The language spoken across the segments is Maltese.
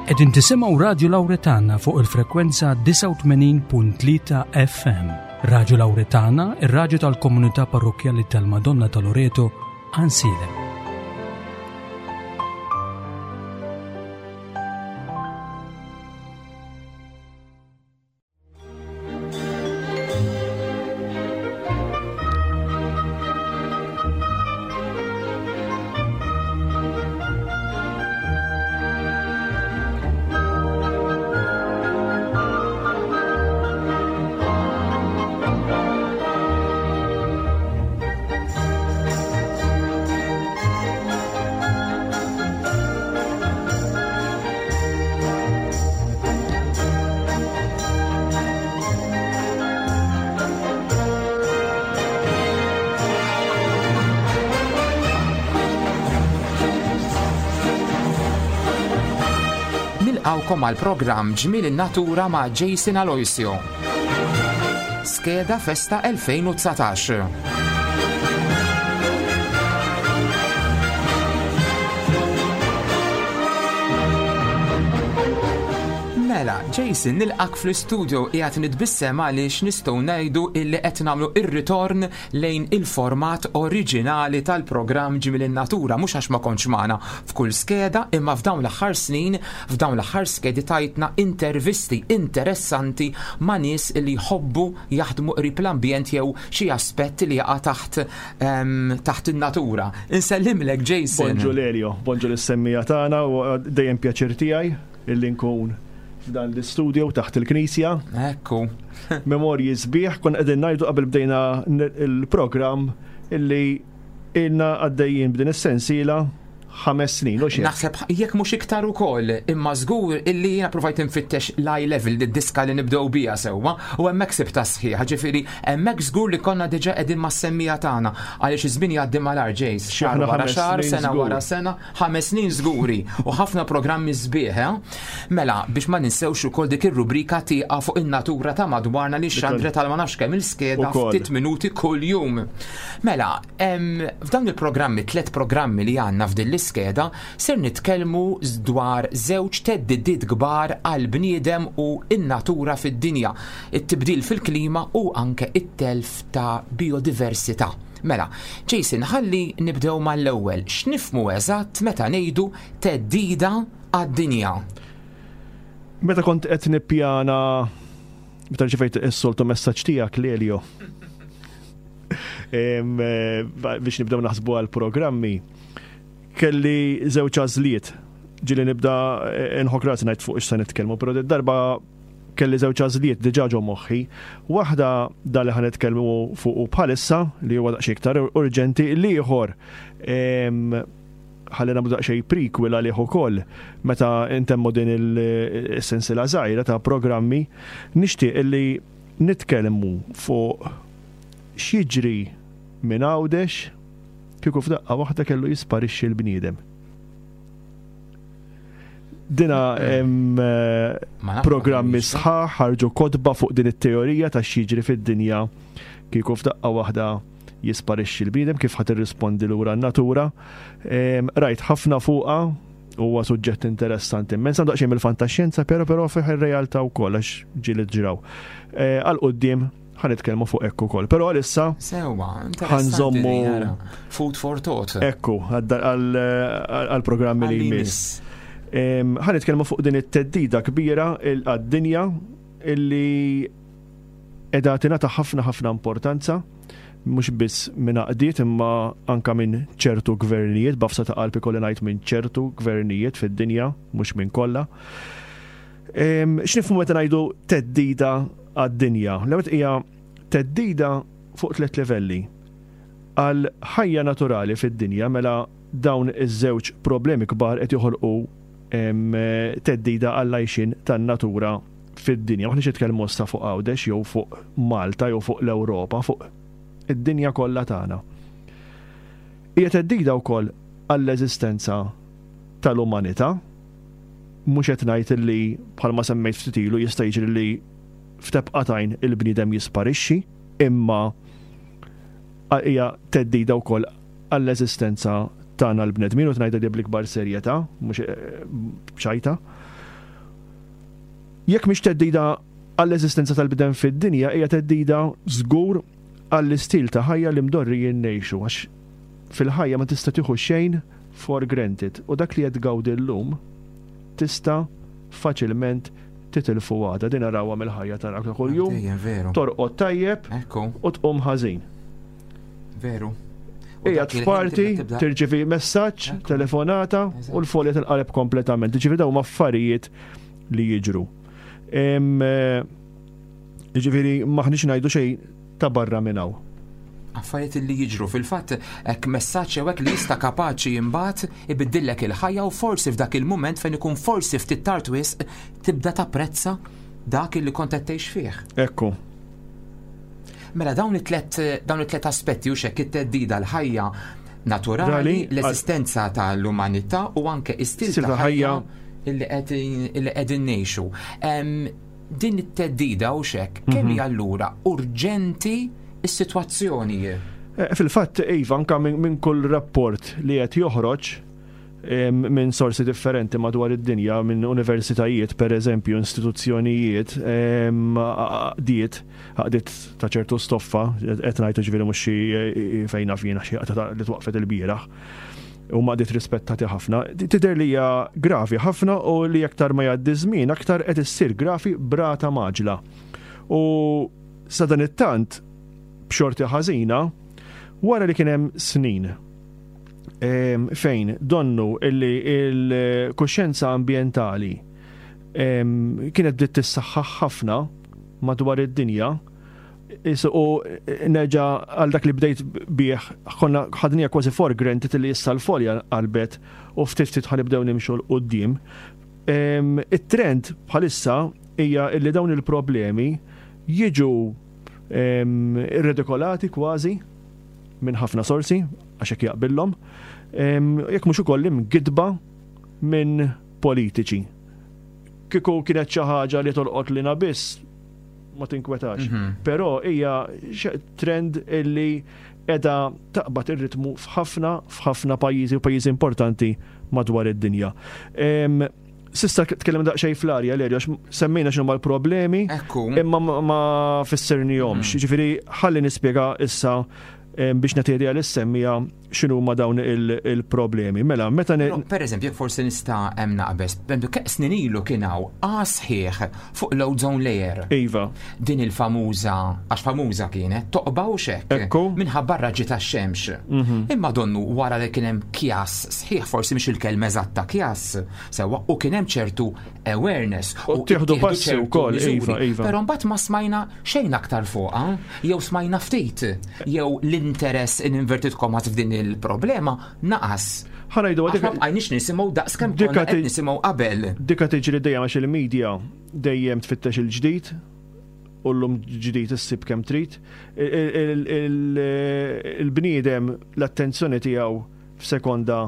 Qegħdin tisimgħu Radju Lawretana fuq il-frekwenza 89.3 FM. Radju Lawretana, ir-radju tal-komunità parrokkjali tal-Madonna ta' Loreto, Għansielem. Nilqawkom għal programm Ġmiel in-Natura ma' Jason Aloisio. Skeda Festa 2019. Mela, Jason, nilqak fl-istudio qiegħed nitbissem għaliex nistgħu ngħidu illi qed nagħmlu ir-ritorn lejn il-format oriġinali tal-programm Ġmiel in-Natura, mhux għax ma kontx magħna f'kull skeda, imma f'dawn l-aħħar snin, f'dawn l-aħħar skedi tajtna intervisti interessanti ma' nies li jħobbu jaħdmu qrib l-ambjent jew xi aspett li jaqa' taħt ehm, taħt in-natura. Insellimlek Jason. Bonġu Lelio, bonġu lis-semmija tagħna u dejjem pjaċir tiegħi illi nkun f'dan l-istudio taħt il-knisja. Ekku. Memorji sbieħ, kon qegħdin ngħidu qabel bdejna il-programm illi ilna għaddejjin b'din is-sensiela ħames snin, u xejn. Naħseb jekk mhux iktar ukoll, imma żgur illi jiena provajt infittex l-eye level d-diska li nibdew biha sewwa u hemmhekk sibta sħiħa, ġifieri hemmhekk żgur li konna diġà qegħdin mas-semmija tagħna għaliex iż-żmien jgħaddi malar ġejs, xahar wara xahar, sena wara sena, ħames snin żguri u ħafna programmi sbieħ, eh? Mela, biex ma ninsewx ukoll dik ir-rubrika tieqa fuq in-natura ta' madwarna li xandret għal ma nafx kemm il-skeda ftit minuti kuljum. Mela, F'dawn il-programmi, tlet programmi li għandna f'din l-iskeda, ser nitkellmu dwar żewġ theddidiet kbar għall-bniedem u n-natura fid-dinja, it-tibdil fil-klima u anke it-telf ta' bijodiversità. Mela, Jason, ħalli nibdew mal-ewwel. X'nifhmu eżatt meta ngħidu theddida għad-dinja? Meta kont qed nippjana meta rċevejt is-soltu messaġġ tiegħek Lelio. Eh, biex nibdew naħsbu għal programmi kelli żewġ għażliet ġili nibda eh, nħok rasi ngħid fuq x'se nitkellmu, però darba kelli żewġ għażliet diġà ġo moħħi. Waħda da li ħanitkellmu fuq bħalissa li huwa daqsxejn iktar urġenti, l-ieħor ħalli nagħmlu daqsxejn prequel għalih ukoll meta intemmu din il-sensiela żgħira ta' programmi, nixtieq li nitkellmu fuq x'jiġri minn Għawdex kieku f'daqqa waħda kellu jisparixxi l-bniedem. Dina hemm eh, programmi sħaħ ħarġu kotba fuq din it-teorija ta' x'jiġri fid-dinja kieku f'daqqa waħda jisparixxi l-bniedem kif ħadd irrispondi lura n-natura. Rajt ħafna fuqha huwa suġġett interessanti immens għandu daqsxejn mill-fantaxjenza, però però fih ir-realtà wkoll għax ġieli ġraw. Eh, għal quddiem ħa nitkellmu fuq hekk ukoll. Però għalissa Sewwa, ħanżommu food for thought. Ekku, għall-programmi li jmiss. Ħa nitkellmu fuq din it-teddida kbira għad-dinja illi qiegħda tingħata ħafna ħafna importanza mhux biss minn għaqdiet imma anka minn ċertu gvernijiet, b'għafsa ta' qalb ikolli ngħid minn ċertu gvernijiet fid-dinja, mhux minn kollha. X'nifhmu meta ngħidu theddida għad-dinja? L-ewwel hija theddida fuq tliet livelli. Għal ħajja naturali fid-dinja mela dawn iż-żewġ problemi kbar qed joħolqu theddida għall-għajxien tan-natura fid-dinja. M'aħniex nitkellmu issa fuq Għawdex jew fuq Malta jew fuq l-Ewropa, fuq id-dinja kollha tagħna. Hija theddida wkoll għall-eżistenza tal-umanità. Mhux qed ngħid li bħalma semmejt ftit ilu jista' jiġri li f'tebqa t'għajn il-bniedem jisparixxi, imma hija theddida wkoll għall-eżistenza tagħna l-bnedmin u tnajda di bl-ikbar serjetà, mhux eh, b'ċajta. Jekk mhix theddida għall-eżistenza tal-bniedem fid-dinja, hija theddida żgur għall-istil ta' ħajja li mdorrijin ngħixu għax fil-ħajja ma tista' tieħu xejn for granted u dak li qed tgawdi llum tista' faċilment titilfu għada. Din narawha mill-ħajja tagħna ta' kuljum. Torqod tajjeb u tqum ħażin. Veru. Qiegħed f'party, tirċivi messaġġ, telefonata u l-folja tinqaleb kompletament. Ġifieri dawn huma affarijiet li jiġru. Eh, ġifieri maħniex ngħidu xejn ta' barra minn hawn. Affarijiet li jiġru fil-fatt hekk messaġġ jew hekk li jista' kapaċi imbagħad ibiddillek il-ħajja u forsi f'dak il-mument fejn ikun forsi ftit tard wisq tibda tapprezza dak li kont qed tgħix fih. Ekku. Mela dawn it-tlet dawn it-tlet aspetti u xekk it-teddida l-ħajja naturali, l-eżistenza tal-umanità u anke istil ta' ħajja illi qegħdin ngħixu. Din it-teddida u xekk kemm mhm. hija allura urġenti s-sitwazzjoni? Eh, fil-fatt, Iva, anka minn kull rapport li qed joħroġ minn sorsi differenti madwar id-dinja, minn universitajiet, per eżempju, istituzzjonijiet, għaqdiet, għaqdiet ta' ċertu stoffa, qed ngħidu ġifieri mhux xi eh, fejn naf jiena xi li twaqfet il-bieraħ u ma qdiet rispettati ħafna, tidher li hija gravi ħafna u li aktar ma jgħaddi żmien aktar qed issir gravi brata maġla. U sa dan it-tant b'xorti ħażina wara li kien hemm snin fejn donnu illi il-kuxjenza ambjentali kienet bdiet tissaħħaħ ħafna madwar id-dinja u nerġa' għal dak li bdejt bih konna ħadnija kważi for granted li issa l-folja qalbet u ftit ftit ħanibdew nimxu 'l quddiem. It-trend bħalissa hija li dawn il-problemi jiġu irredikolati kważi minn ħafna sorsi, għax hekk jaqbillhom, jekk mhux ukoll imgidba minn politiċi. Kieku kienet xi ħaġa li tolqot lina biss, ma tinkwetax. Mhm. Però hija trend illi edha taqbad ir-ritmu f'ħafna f'ħafna pajjiżi u pajjiżi importanti madwar id-dinja. Sista tkellem daqsxejn fl-arja l għax semmejna x'inhuma l-problemi, imma ma fissirnihomx. Mm. Ġifieri ħalli nispjega issa biex nagħti idea lis-semmija x'inhuma dawn il-problemi. Mela, meta Per eżempju, jekk forsi nista' hemm naqbeż, kemm snin ilu kien hawn sħiħ fuq l-ozone layer. Iva. Din il-famuża, għax famuża kienet, toqba u xekk. Ekku. Minħabba raġi tax-xemx. Mhm. Imma donnu wara li kien hemm kjas sħiħ, forsi mhix il-kelma eżatta kjas, sewwa, u kien hemm ċertu awareness. U tieħdu passi wkoll, iva, iva. Però mbagħad ma smajna xejn aktar fuqha, jew smajna ftit, jew l-interess in inverted commas f'din il-problema naqas. Ħanajdu għadik. Ma bqajniex nisimgħu daqs kemm konna qed nisimgħu qabel. Dika tiġri dejjem għax il-media dejjem tfittex il-ġdid u llum ġdid issib kemm trid. Il-bniedem l-attenzjoni tiegħu f'sekonda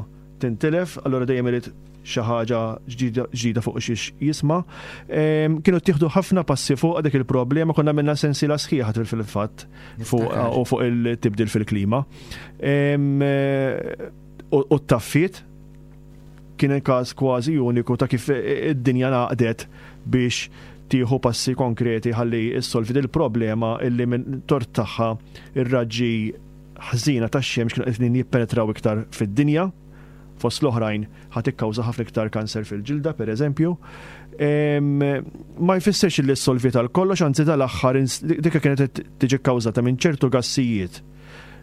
tintilef, allura dejjem irid xi ħaġa ġdida fuq xiex jisma'. Kienu ttieħdu ħafna passi fuq dik il-problema, konna minna sensiela sħiħa fil-fatt fuq u fuq il-tibdil fil-klima. U t-taffiet kien każ kważi uniku ta' kif id-dinja naqdet biex tieħu passi konkreti ħalli issolvi il-problema illi minn tort tagħha ir-raġġi ħżiena tax-xemx kienu qegħdin jippenetraw iktar fid-dinja. Fost l-oħrajn ħa tikkawża ħafna iktar kanser fil-ġilda, per eżempju. Ma jfissirx li ssolviet għal kollox, anzi dal-aħħar dikka kienet tiġi kkawżata minn ċertu gassijiet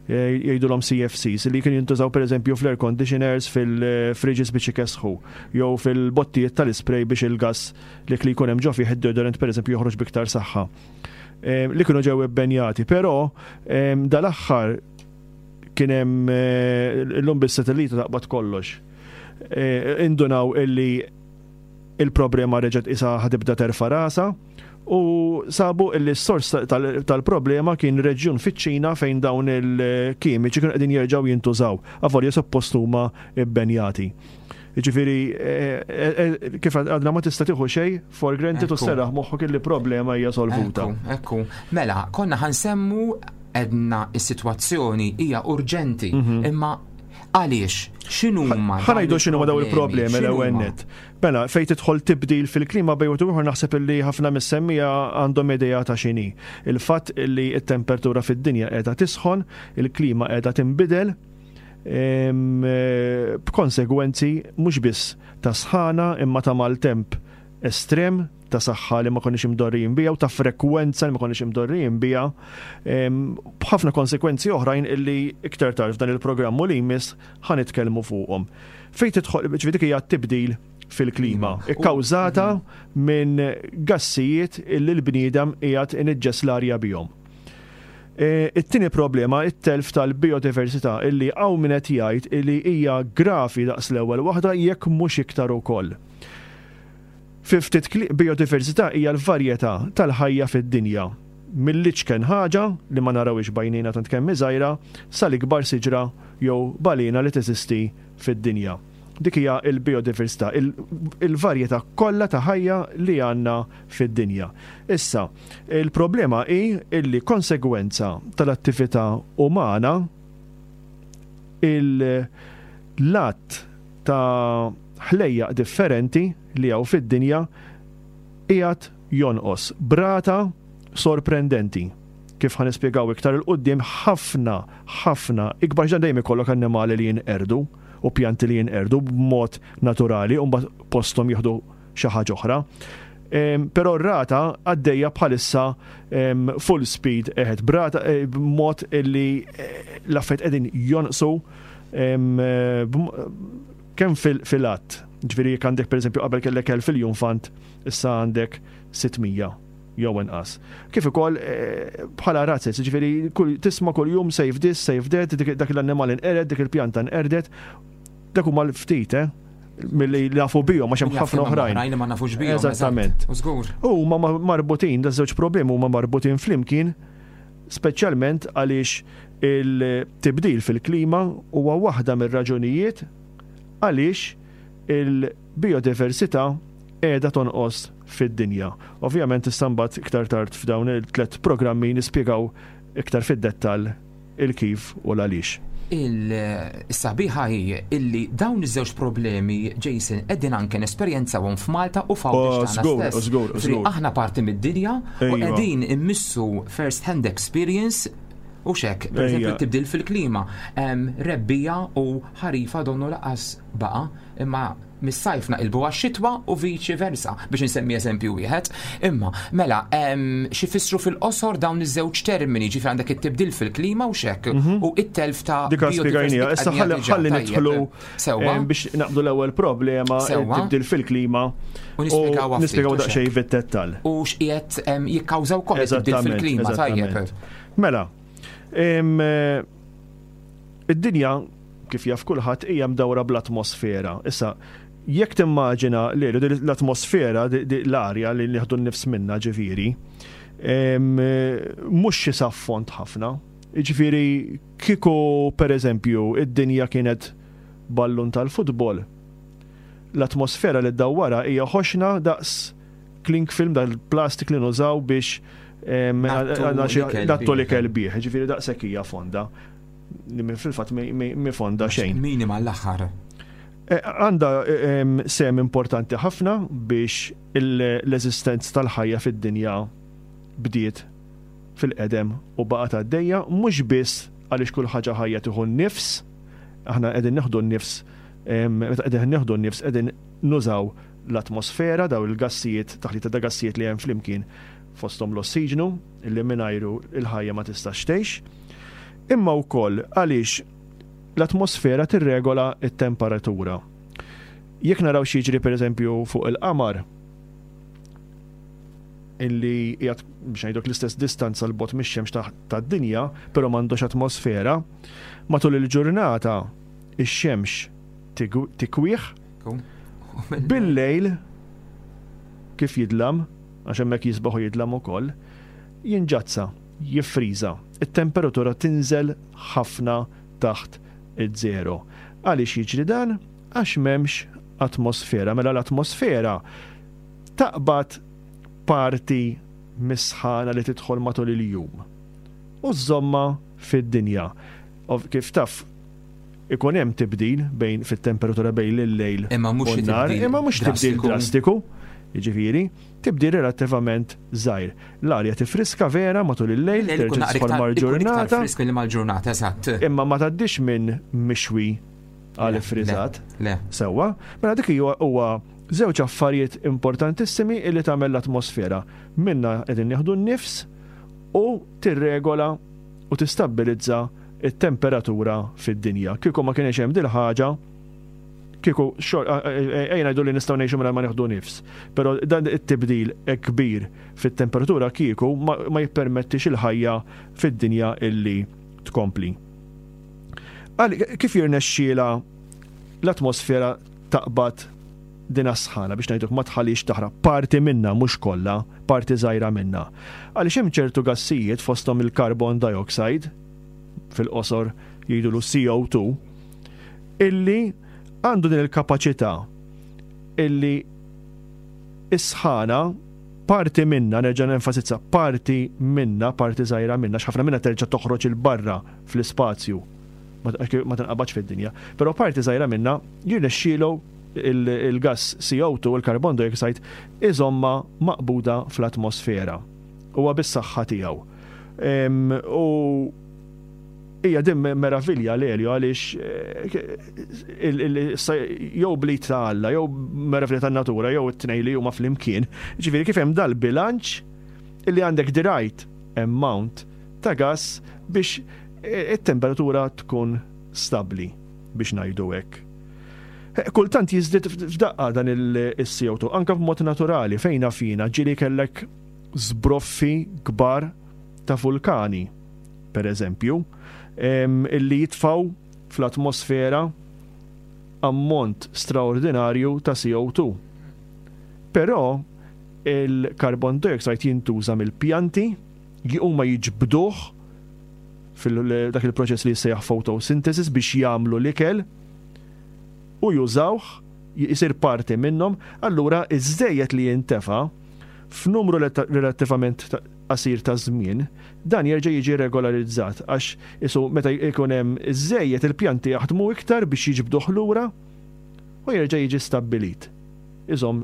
eh, jgħidulhom CFCs li kienu jintużaw pereżempju fl-air conditioners, fil-fridges biex ikesħu, jew fil-bottijiet tal-ispray biex il-gas li li jkun hemm ġo fih id-deodorant pereżempju joħroġ biktar saħħa. Li kienu ġew ibbenjati, però dal-aħħar kien hemm eh, illum bis-satellita taqbad kollox. Eh, indunaw illi il-problema reġgħet isa ħadibda terfa rasa u sabu illi s-sors tal-problema kien reġjun fiċ-Ċina fejn dawn il-kimiċi kienu qegħdin jerġgħu jintużaw, avolja suppost huma bbenjati. Jiġifieri eh, kif għadna ma tista' tieħu xejn for granted u serraħ moħħok illi problema hija solvuta. Ekku, mela konna ħansemmu edna is-sitwazzjoni hija urġenti, mhm. imma Għaliex? X'inhuma? Ħa ngħidu x'inhuma daw il-problemi l-ewwel nett. Mela, fejn tidħol tibdil fil-klima bejn wieħed u ieħor naħseb illi ħafna mis-semmiegħa għandhom idea ta' x'inhi. Il-fatt illi t-temperatura fid-dinja qiegħda tisħon, il-klima qiegħda tinbidel, b'konsegwenzi mhux biss ta' sħana imma ta' maltemp estrem, ta' saħħa li ma konniex imdorrijin biha u ta' frekwenza li ma konniex imdorrijin biha, b'ħafna konsekwenzi oħrajn illi iktar tard f'dan il-programm u li jmiss ħa nitkellmu fuqhom. Fejn tidħol, ġifieri dik hija t-tibdil fil-klima, ikkawżata minn gassijiet illi l-bniedem qiegħed iniġġes l-arja bihom. E, it-tieni problema, it-telf tal-biodiversità illi hawn min qed jgħid illi hija gravi daqs l-ewwel waħda jekk mhux iktar ukoll. Fi ftit kliem, bijodiversità hija l-varjetà tal-ħajja fid-dinja, mill-iċken ħaġa, li ma narawhiex b'għajnejna tant kemm hi żgħira, sal-ikbar siġra jew balena li teżisti fid-dinja. Dik hija l-bijodiversità, il-varjetà kollha ta' ħajja li għandna fid-dinja. Issa, il-problema hi illi konsegwenza tal-attività umana, il-lat ta' ħlejjaq differenti li hawn fid-dinja qiegħed jonqos b'rata sorprendenti. Kif ħa nispjegaw iktar 'il quddiem ħafna, ħafna ikbar għax dan dejjem ikollok annimali li jinqerdu u pjanti li jinqerdu b'mod naturali u mbagħad posthom jieħdu xi ħaġa oħra. Però r-rata għaddejja bħalissa full speed ahead b'rata eh, b'mod li eh, l-affarijiet qegħdin jonqsu kemm fil-għadd, ġifieri jekk għandek pereżempju qabel kellek 1000 iljunfant, issa għandek 600 jew inqas. Kif ukoll eh, bħala razzez, ġifieri tisma' kuljum save this, save that, dak l-annimal inqered, dik il-pjanta nqerdet, dak huma l-ftit, eh? milli nafu bihom għax hemm ħafna oħrajn. Oħrajn ma nafux bihom. Eżattament. U huma marbutin, da żewġ problemi huma marbutin flimkien speċjalment għaliex il-tibdil fil-klima huwa waħda mir-raġunijiet għaliex il-bijodiversità qiegħda tonqos fid-dinja. Ovvjament issa mbagħad iktar tard f'dawn it-tlett programmi nispjegaw iktar fid-dettall il-kif u l-għaliex. Il-sabiħa hi illi dawn iż-żewġ problemi, Jason, qegħdin anke nesperjenzawhom f'Malta u f'Għawdex tagħna stess. Żgur, żgur. Aħna parti mid-dinja u qegħdin immissu first hand experience u xek, per eżempju, tibdil fil-klima, rebbija u ħarifa donnu laqas baqa, imma mis-sajf naqilbu għax-xitwa u viċi versa, biex insemmi eżempju wieħed. Imma, mela, xi fissru fil-qosor dawn iż-żewġ termini, ġifieri għandek it-tibdil fil-klima u xek, u it-telf ta' Dik spjegajnija, issa ħalli nidħlu biex naqbdu l-ewwel problema, tibdil fil-klima. U nispjegaw nispjegaw daqsxejn fid-dettall. U x'qiegħed jikkawża wkoll it-tibdil fil-klima, tajjeb. Mela, eh, id-dinja kif jaf kulħadd hija mdawra bl-atmosfera. Issa, jekk timmaġina li l-atmosfera, l-arja li nieħdu n-nifs minna ġifieri, mhux xi saffont ħafna. Ġifieri kieku pereżempju id-dinja kienet ballun tal-futbol, l-atmosfera li ddawwarha hija ħoxna daqs cling film dal-plastik li nużaw biex nattu l-ikel bih, ġifieri daqshekk hija fonda. Fil-fatt mi fonda xejn. Minima l-aħħar. E, għanda e, sem importanti ħafna biex l-eżistenza tal-ħajja fid-dinja bdiet fil-qedem u baqgħet għaddejja mhux biss għaliex kull ħaġa ħajja tieħu n-nifs, aħna qegħdin nieħdu n-nifs, meta qegħdin nieħdu n-nifs qegħdin nużaw l-atmosfera, daw il-gassijiet, taħlita ta' gassijiet li hemm flimkien fosthom l-ossiġnu, illi mingħajru l-ħajja ma tistax tgħix. Imma wkoll għaliex l-atmosfera tirregola t-temperatura. Jekk naraw x'jiġri pereżempju fuq il-qamar, illi qiegħed biex ngħiduk l-istess distanza 'l bogħod mix-xemx tad-dinja, però m'għandux atmosfera, matul il-ġurnata ix-xemx tikwih, bil-lejl kif jidlam, għax hemmhekk jisbaħ u jidlam ukoll, jinġazza, jiffriża. It-temperatura tinżel ħafna taħt iż-żero. Għaliex jiġri dan? Għax m'hemmx atmosfera. Mela l-atmosfera taqbad parti mis-sħana li tidħol matul il-jum u żżommha fid-dinja. Kif taf, Ikun hemm tibdil bejn fit-temperatura bejn il-lejl Imma mhux u xi n-nhar, tibdil imma mhux tibdil drastiku. drastiku. Jiġifieri, tibdil relattivament żgħir. L-arja tifriska vera matul il-lejl, Il-lejl ikun terġa' naqra tidħol iktar ikun iktar mal-ġurnata, frisk milli mal-ġurnata, eżatt. imma ma tgħaddix minn mixwi għal Le, le, iffriżat. le. Sewwa, mela dik huwa huwa żewġ affarijiet importantissimi li tagħmel l-atmosfera. Minna qegħdin nieħdu n-nifs u tirregola u tistabbilizza t-temperatura fid-dinja. Kieku ma kienx hemm dil-ħaġa, kieku ejja ngħidu li nistgħu ngħixu mingħajr ma nieħdu nifs, però dan it-tibdil hekk kbir fit-temperatura kieku ma jippermettix il-ħajja fid-dinja illi tkompli. Kif jirnexxielha l-atmosfera taqbad din sħana biex ngħiduk ma tħallix taħraq parti minna mhux kollha, parti żgħira minna. Għaliex hemm ċertu gassijiet fosthom il-carbon dioxide, fil-qosor jgħidulu CO2, illi għandu din il-kapaċità illi is-sħana parti minna, nerġa' nenfasizza, parti minna, parti żgħira minna, x'ħafna minna terġa' toħroġ 'il barra fl-ispazju, ma tinqabadx fid-dinja, però parti żgħira minna jirnexxielu il-gass CO2, il-carbon dioxide, iżomma maqbuda fl-atmosfera. Huwa bis-saħħa tiegħu. U hija din meravilja l-Elio għaliex eh, jew blit ta' Alla, jew meravilja tan-natura, jew it-tnej li huma flimkien. Ġifieri kif hemm dal-bilanċ illi għandek the right amount ta' gas biex eh, it-temperatura tkun stabbli biex ngħidu hekk. Eh, kultant jiżdied f'daqqa dan il-CO2, anka b'mod naturali fejn fina ġieli kellek żbroffi kbar ta' vulkani per eżempju, illi jitfgħu fl-atmosfera ammont straordinarju ta' CO2. Però il-carbon dioxide jintuża mill-pjanti, huma jiġbduh fil-dak il-proċess li jissejjaħ photosynthesis biex jagħmlu l-ikel u jużawh jisir parti minnhom, allura iż-żejjed li jintefa' f'numru relattivament qasir ta' żmien, dan jerġa' jiġi regolarizzat għax isu meta jkun hemm iż-żejjed il-pjanti jaħdmu iktar biex jiġbduh lura u jerġa' jiġi stabbilit. Iżomm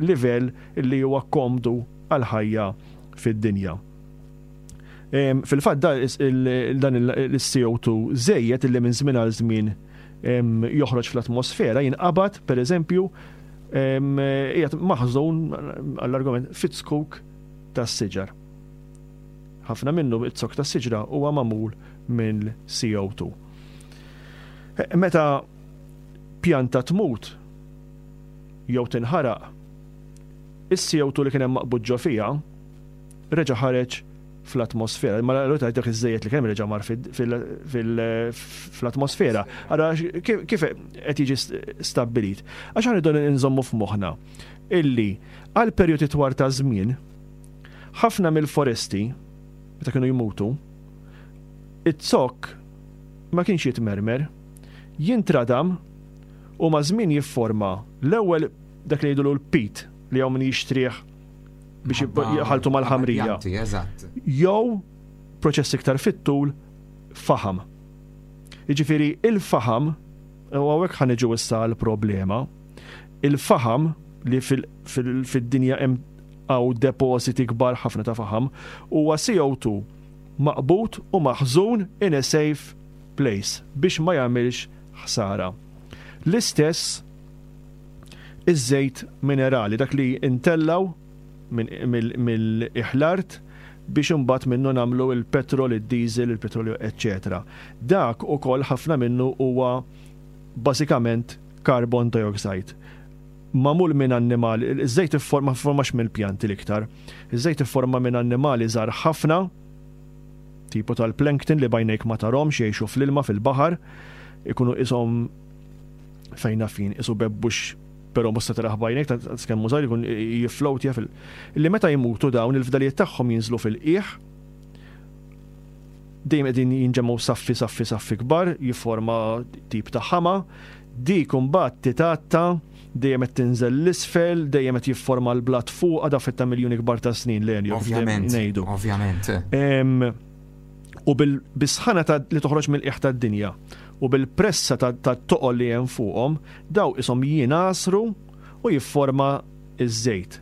livell li huwa komdu għall-ħajja fid-dinja. Fil-fatt dan il-CO2 żejjed illi minn żmien għal żmien joħroġ fl-atmosfera jinqabad, pereżempju, qiegħed maħżun għall-argument fit-zkuk tas-siġar. Ħafna minnu it-zokk tas-siġra huwa magħmul minn CO2. Meta pjanta tmut jew tinħaraq, is-CO2 li kien hemm maqbud ġo fiha reġa' ħareġ fl-atmosfera. Ma l dak iż-żejjed li kemm reġa' mar fl-atmosfera. Ara kif qed jiġi stabbilit. Għax rridu nżommu f'moħħna illi għal perjodi twar ta' żmien ħafna mill-foresti meta kienu jmutu it-zokk ma kienx jitmermer, jintradam u ma' żmien jifforma l-ewwel dak li jgħidulu l-pit li hawn min jixtrih biex jħaltu mal-ħamrija. Jew proċess iktar fit-tul faħam. Jiġifieri il-faħam, u hawnhekk ħa niġu issa għall-problema, il-faħam li fid-dinja hemm hawn depożiti kbar ħafna ta' faħam, huwa CO2 maqbud u maħżun in a safe place biex ma jagħmilx ħsara. L-istess iż-żejt minerali, dak li ntellgħu mill-qiegħ l-art biex imbagħad minnu nagħmlu l-petrol, id-diesel, il-petrolju, eċċetera. Dak ukoll ħafna minnu huwa bażikament carbon dioxide. Magħmul minn annimali, iż-żejt ma formax mill-pjanti l-iktar. Iż-żejt ifforma minn annimali żgħar ħafna, tipo tal-plankton li b'għajnejk ma tarhomx jgħixu fl-ilma fil-baħar, ikunu qishom fejn naf jien isu bebbux però mhux se tarah b'għajnejk ta' kemm hu żgħir ikun jifflowtja fil li meta jmutu dawn il-fdalijiet tagħhom jinżlu fil-qiegħ dejjem qegħdin jinġemgħu saffi saffi saffi kbar jifforma tip ta' ħama dik imbagħad titgħatta dejjem qed tinżel l-isfel, dejjem qed jifforma l-blat fuqha da ta' miljuni kbar ta' snin l Ovvjament. Ngħidu. Ovvjament. U bis-sħana li toħroġ mill-qiegħ tad-dinja. u bil-pressa tat-toqol li hemm fuqhom daw ishom jingħasru u jifforma ż-żejt.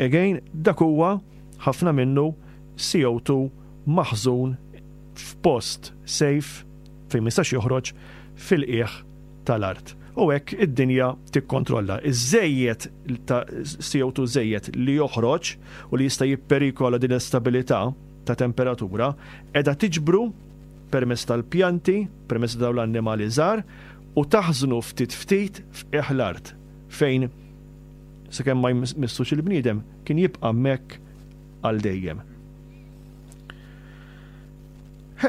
Again, dak huwa ħafna minnu CO2 maħżun f'post safe fejn ma jistax joħroġ fil-qiegħ tal-art. U hekk id-dinja tikkontrolla. Iż-żejjed ta' CO2 żejjed li joħroġ u li jista' jipperikola din l-istabilità ta' temperatura qiegħda tiġbru permezz tal-pjanti, permezz ta' dawn l-annimali żgħar u taħżnu ftit ftit f'qiegħ l-art fejn sakemm ma jmissux il-bniedem kien jibqa' hemmhekk għal dejjem.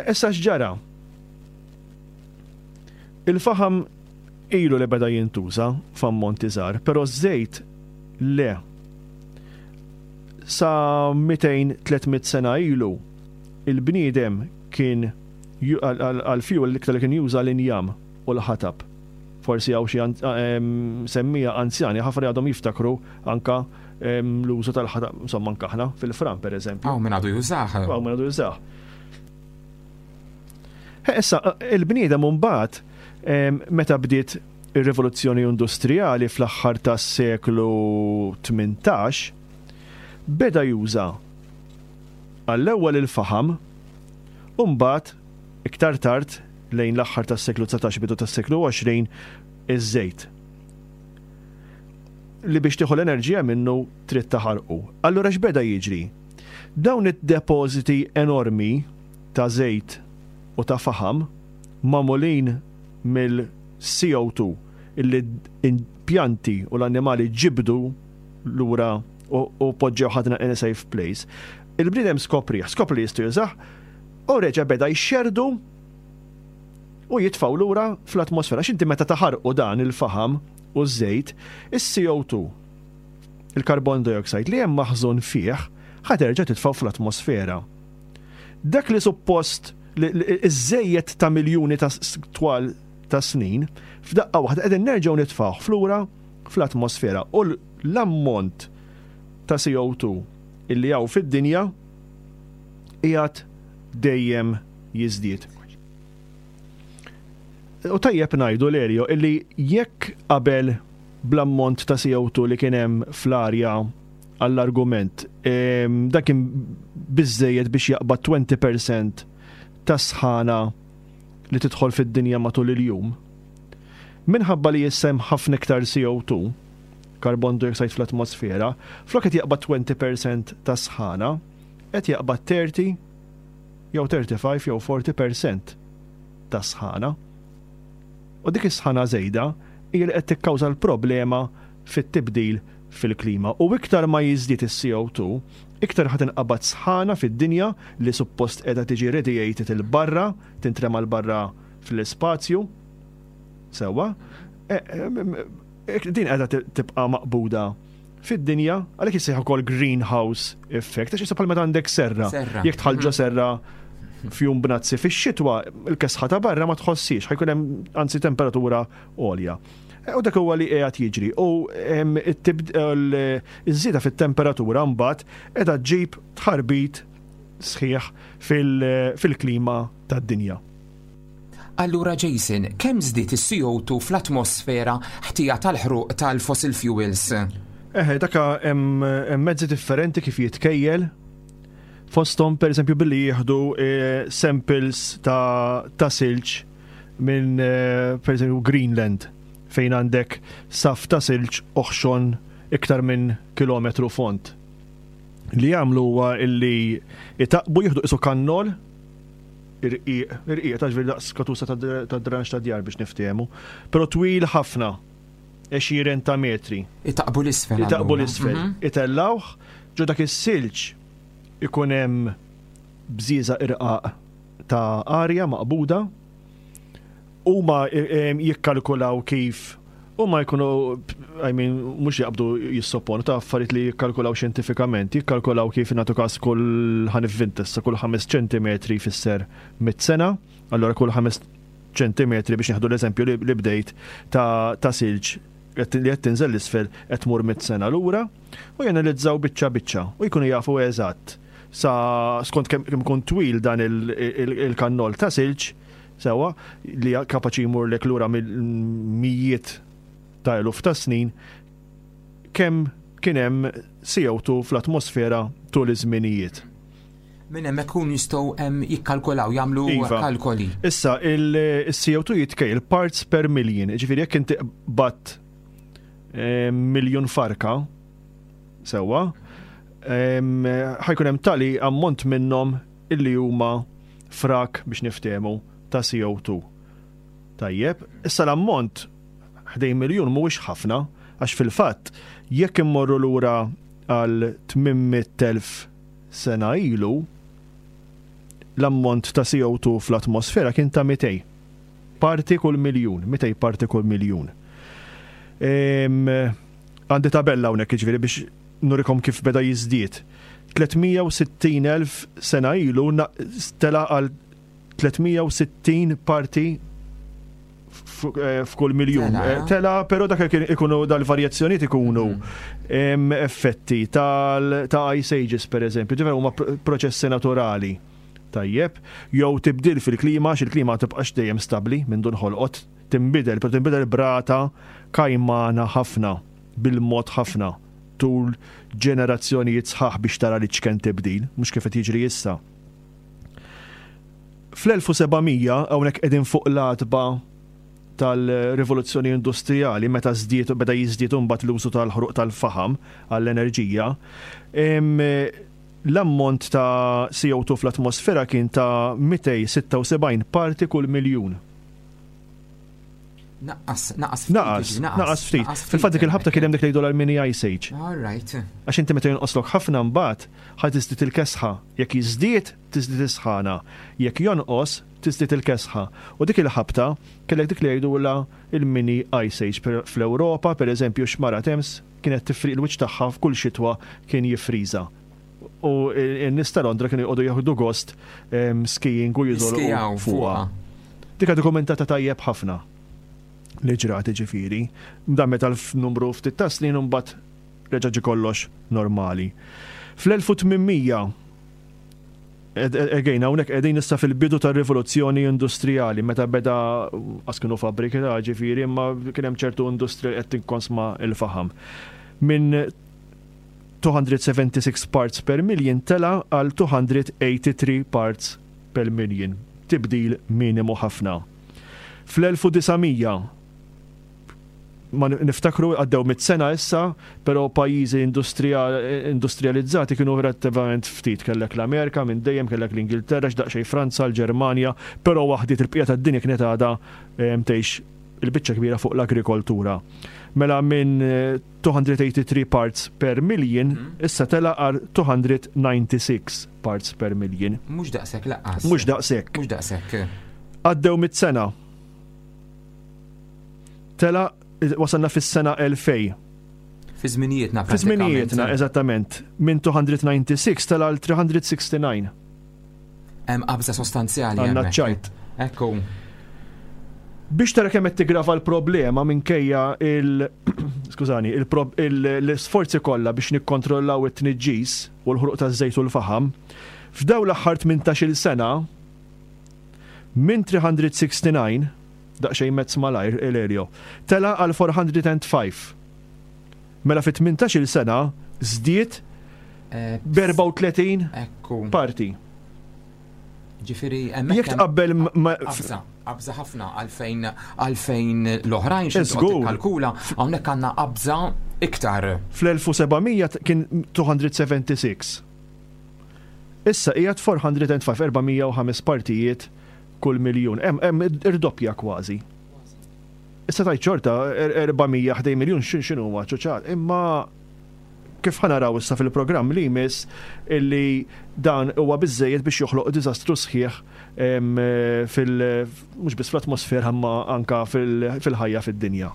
Issa x'ġara? Il-faħam ilu li beda jintuża f'ammonti żgħar, però ż-żejt le. Sa 200-300 sena ilu il-bniedem kien għal-fuel l-iktar li kien juża l-injam u l-ħatab. Forsi hawn xi semmija anzjani ħafna li għadhom jiftakru anka l-użu tal-ħatab, insomma anka aħna fil-fran pereżempju. Hawn min għadu jużah. Hawn min għadu jużah. Issa, il-bniedem mbagħad meta bdiet ir-rivoluzzjoni industrijali fl-aħħar tas-seklu 18 beda juża għall-ewwel il-faħam u mbagħad iktar tard lejn l-aħħar tas-seklu 19 bidu tas-seklu 20 iż-żejt. Li biex tieħu l-enerġija minnu trid taħarqu. Allura x'beda jiġri? Dawn id-depożiti enormi ta' żejt u ta' faħam magħmulin mill-CO2 illi l-pjanti u l-annimali ġibdu lura u poġġew ħadna in a safe place. Il-bniedem skoprih, skopri li jista' jużah u reġa' beda jxerrdu u jitfgħu lura fl-atmosfera. Għax inti meta taħarqu dan il-faħam u ż-żejt, is-CO2, il-carbon dioxide li hemm maħżun fih, ħa terġa' titfgħu fl-atmosfera. Dak li suppost iż-żejjed ta' miljuni ta' twal ta' snin, f'daqqa waħda qegħdin nerġgħu nitfgħuh flura fl-atmosfera u l-ammont ta' CO2 illi hawn fid-dinja qiegħed dejjem jiżdied. U tajjeb ngħidu Lerio illi jekk qabel bl-ammont ta' CO2 li kien hemm fl-arja għall-argument, dan kien biżżejjed biex jaqbad 20% ta' sħana li tidħol fid-dinja matul il-jum. Minħabba li issa hemm ħafna iktar CO2, carbon dioxide fl-atmosfera, flok qed jaqbad 20% ta' sħana, qed jaqbad 30 jew 35 jew 40% ta' sħana. U dik is-sħana żejda hija li qed tikkawża l-problema fit-tibdil fil-klima. U iktar ma jiżdied is-CO2, iktar ħa tinqabad sħana fid-dinja li suppost qiegħda tiġi radiated 'il barra, tintrema 'l barra fl-ispazju. Sewwa? E, e, din qiegħda tibqa' maqbuda fid-dinja, għalhekk jissejjaħ ukoll greenhouse effect, għax issa bħal meta għandek serra. Jekk tħallġo mhm. serra fjum bnazzi fix-xitwa, il-kesħa ta' barra ma tħossix, ħajkun hemm anzi temperatura għolja. E, u dak huwa li qiegħed jiġri. U iż-żieda fit-temperatura mbagħad qiegħda ġġib tħarbit sħiħ fil-klima tad-dinja. Allura Jason, kemm żdied is-CO2 fl-atmosfera ħtija tal-ħruq tal-fossil fuels? Eħe, daka hemm mezzi differenti kif jitkejjel. Fosthom pereżempju billi jieħdu eh, samples ta', ta silġ minn eh, pereżempju Greenland fejn għandek saf ta' silġ oħxon iktar minn kilometru fond. Li jagħmlu huwa illi itaqbu jieħdu isu kannol irqiq, irqiq ta' ġifieri daqs katusa ta' dranx ta' djar biex niftehmu, però twil ħafna, għexieren ta' metri. Itaqbu l-isfel. Itaqbu l-isfel. Mhm. Itellawh, ġo dak is-silġ ikun hemm bżieża irqaq ta' arja maqbuda Huma jikkalkulaw kif huma jkunu, I mean, mhux jaqbdu jissopponu ta' affarijiet li jikkalkulaw xjentifikament, jikkalkulaw kif nagħtu każ kull ħanivvinta issa kull 5 ċentimetri jfisser mit sena, allura kull 5 ċentimetri biex nieħdu l-eżempju li bdejt ta' ta' silġ li qed tinżel l-isfel qed tmur mit sena lura u janalizzaw biċċa biċċa u jkunu jafu eżatt sa skont kemm ikun twil dan il-kannol ta' silġ. Sewwa, li kapaċi jmurlek lura mill-mijiet ta' eluf ta' snin, kemm kien hemm CO2 fl-atmosfera tul iż-żminijiet. Minn hemmhekk ikunu jistgħu jikkalkulaw, jagħmlu iva. kalkoli. Issa, il-CO2 jitkejjel parts per million, ġifieri jekk inti qbadt miljun farka, sewwa, ħajkun hemm tali ammont minnhom illi huma frak biex niftehmu ta' CO2. Tajjeb, issa l-ammont ħdejn miljun mhuwiex ħafna, għax fil-fatt jekk immorru lura għal 800,000 sena ilu, l-ammont ta' CO2 fl-atmosfera kien ta' 200 parti kull miljun, 200 parti kull miljun. Għandi tabella hawnhekk jiġifieri biex nurikom kif beda jiżdied. 360,000 sena ilu tela' għal 360 parti eh, f'kull miljun. Eh, tela, però dak ikunu dal-varjazzjonijiet ikunu mm. effetti ta' ice ages per eżempju, ġifieri huma proċessi naturali. Tajjeb, jew tibdil fil-klima, għax il-klima tibqax dejjem stabbli minn dun ħolqot, tinbidel, però tinbidel brata kajmana ħafna, bil-mod ħafna, tul ġenerazzjonijiet sħaħ biex tara li ċken tibdil, mhux kif qed jiġri issa. Fl-1700, hawnhekk qegħdin fuq l-għatba tal-rivoluzzjoni industrijali meta żdied beda jiżdied imbagħad l-użu tal-ħruq tal-faħam għall-enerġija, l-ammont ta' CO2 fl-atmosfera kien ta' 276 parti kull miljun. Naqqas, naqqas ftit. Naqas, naqas ftit. Fil-fatt dik il-ħabta kien hemm dik li jgħidu l-mini ice age. All right. Għax inti meta jonqoslok ħafna mbagħad ħa tiżdied il-kesħa. Jekk jiżdied, tiżdied is-sħana. Jekk jonqos, tiżdied il-kesħa. U dik il-ħabta kellek dik li jgħidulha il-mini ice age. Fl-Ewropa, pereżempju, xmara Thames kienet tifriq il-wiċċ tagħha f'kull xitwa kien jiffriża. U n-nies ta' Londra kienu jqogħdu jieħdu gost skiing u jiżolqu fuqha. Dik dokumentata tajjeb ħafna li ġrat ġifieri. Dan meta l-numru ftit ta' snin imbagħad reġa' ġie kollox normali. Fl-1800 Again, hawnhekk qegħdin issa fil-bidu tar-rivoluzzjoni industrijali, meta beda qas kienu fabbriki ta' ġifieri, imma kien hemm ċertu industrija li qed tinkonsma l-faħam. Minn 276 parts per million tela' għal 283 parts per million, tibdil minimu ħafna. Fl-1900, ma niftakru għaddew mit sena issa, però pajjiżi industrijalizzati kienu relattivament ftit. Kellek l-Amerika minn dejjem, kellek l-Ingilterra, x'daqsxejn Franza, l-Ġermanja, però waħdiet il-bqija tad-dinja kienet għadha tgħix il-biċċa kbira fuq l-agrikoltura. Mela minn 283 parts per million, issa tela' għal 296 parts per million. Mhux daqshekk laqqas. Mhux daqshekk. Mhux daqshekk. Għaddew mit-sena. Tela' wasalna fis-sena 2000. Fi żminijietna. Fi żminijietna, eżattament. Minn 296 tela' għal 369. Hemm qabża sostanzjali. Għandna ċajt. Ekku. Biex tara kemm qed tigrava l-problema minkejja il skużani, l-isforzi kollha biex nikkontrollaw it-tniġġis u l-ħruq taż-żejt u l-faħam, f'daw l-aħħar 18-il sena minn 369 daqsxejn mezz malajr Elelio, tela' għal 405. Mela fi 18-il sena żdied eh, b'34 parti. Ġifieri hemmhekk. Jekk tqabbel qabża, qabża ħafna għalfejn għalfejn l-oħrajn xi kalkula hawnhekk għandna qabża iktar. Fl-1700 kien 276. Issa qiegħed 405 405 partijiet kull miljun. Hemm irdoppja kważi. Issa tajt xorta 400 ħdej miljun x'inhu ċuċat, imma kif ħa naraw issa fil-programm li jmiss illi dan huwa biżżejjed biex joħloq diżastru sħiħ fil mhux biss fl-atmosfera imma anka fil-ħajja fid-dinja.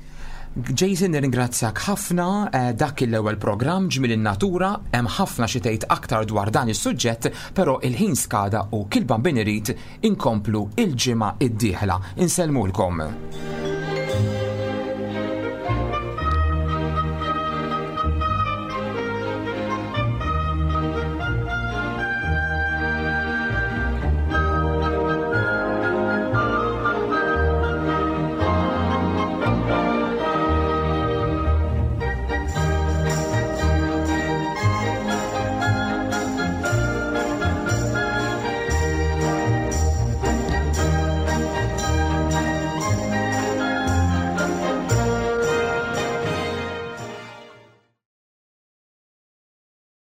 Jason nirringrazzjak ħafna eh, dak l-ewwel programm ġmil in-natura hemm ħafna xi tgħid aktar dwar dan is-suġġett, però il-ħin skada u kil bambin irid inkomplu il-ġimgħa id-dieħla. Insellmulkom.